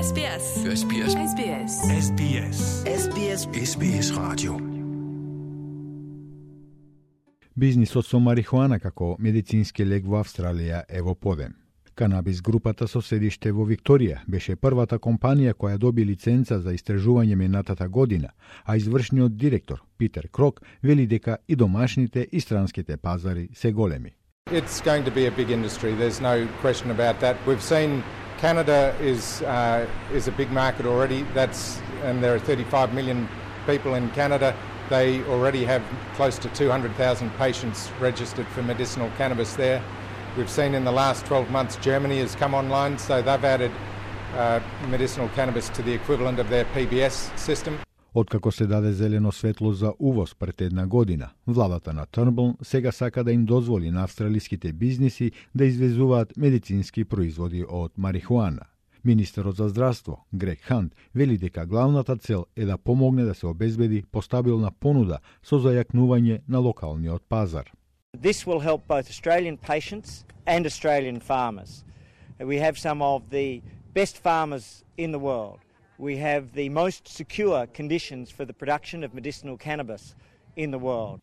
SBS. SBS. SBS. SBS. SBS. SBS Radio. Бизнисот со марихуана како медицински лек во Австралија е во подем. Канабис групата со седиште во Викторија беше првата компанија која доби лиценца за истражување минатата година, а извршниот директор Питер Крок вели дека и домашните и странските пазари се големи. It's going to be a big industry. There's no question about that. We've seen Canada is a big market already. And there are 35 million people in Canada. They already have close to 200,000 patients registered for medicinal cannabis there. We've seen in the last 12 months Germany has come online, so they've added medicinal cannabis to the equivalent of their PBS system. Откако се даде зелено светло за увоз пред една година, владата на Тurnbull сега сака да им дозволи на австралиските бизниси да извезуваат медицински производи од марихуана. Министерот за здравство, Грег Хант, вели дека главната цел е да помогне да се обезбеди постабилна понуда со зајакнување на локалниот пазар. This will help both Australian patients and Australian farmers. We have some of the best farmers in the world. We have the most secure conditions for the production of medicinal cannabis in the world.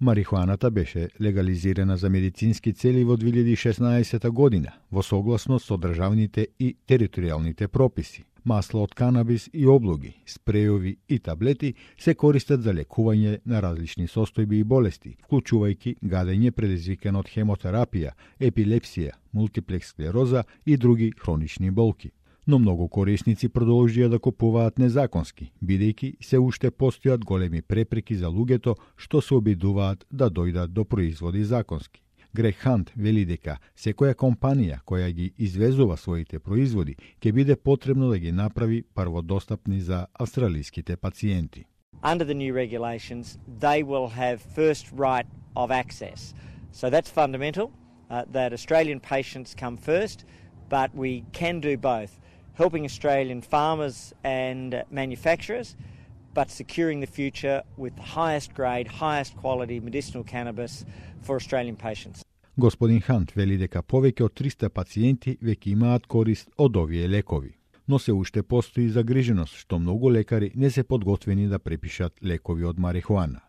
Марихуаната беше легализирана за медицински цели во 2016 година, во согласност со државните и територијалните прописи. Масло од канабис и облоги, спрејови и таблети се користат за лекување на различни состојби и болести, вклучувајќи гадење предизвикано од хемотерапија, епилепсија, мултиплекс склероза и други хронични болки. Но многу корисници продолжија да купуваат незаконски, бидејќи се уште постојат големи препреки за луѓето што се обидуваат да дојдат до производи законски. Грег Хант вели дека секоја компанија која ги извезува своите производи ќе биде потребно да ги направи прводостапни за австралиските пациенти. Under the new regulations, they will have first right of access. So that's fundamental, that Australian patients come first, but we can do both. Helping Australian farmers and manufacturers, but securing the future with the highest grade, highest quality medicinal cannabis for Australian patients. Господин Хант вели дека повеќе од 300 пациенти веќе имаат корист од овие лекови. Но се уште постои загриженост што многу лекари не се подготвени да препишат лекови од марихуана.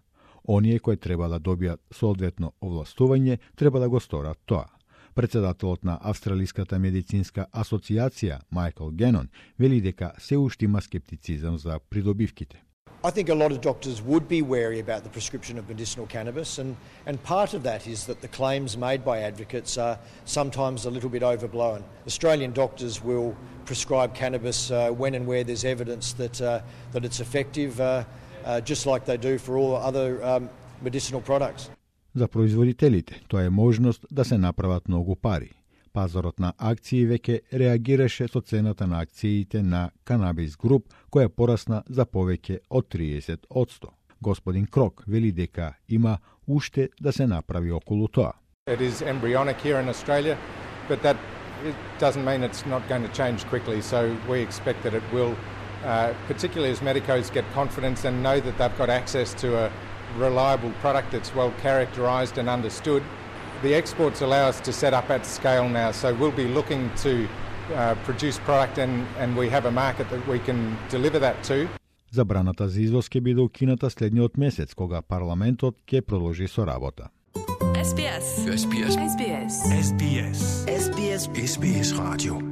Оние кои треба да добијат соодветно овластување треба да го сторат тоа. Председателот на Австралиската медицинска асоциација Майкл Генон вели дека се уште има скептицизам за придобивките. I think a lot of doctors would be wary about the prescription of medicinal cannabis, and part of that is that the claims made by advocates are sometimes a little bit overblown. Australian doctors will prescribe cannabis when and where there's evidence that it's effective, just like they do for all other medicinal products. За производителите тоа е можност да се направат многу пари. Пазарот на акции веќе реагираше со цената на акциите на Канабис Груп, која порасна за повеќе од 30%. Господин Крок вели дека има уште да се направи околу тоа. It is embryonic here in Australia, but that doesn't mean it's not going to change quickly. So we expect that it will, particularly as medicos get confidence and know that they've got access to a reliable product that's well characterised and understood. The exports allow us to set up at scale now, so we'll be looking to produce product and we have a market that we can deliver that to. Забраната за извоз ќе биде укината следниот месец, кога парламентот ќе продолжи со работа. SBS. SBS. SBS. SBS. SBS. SBS Radio.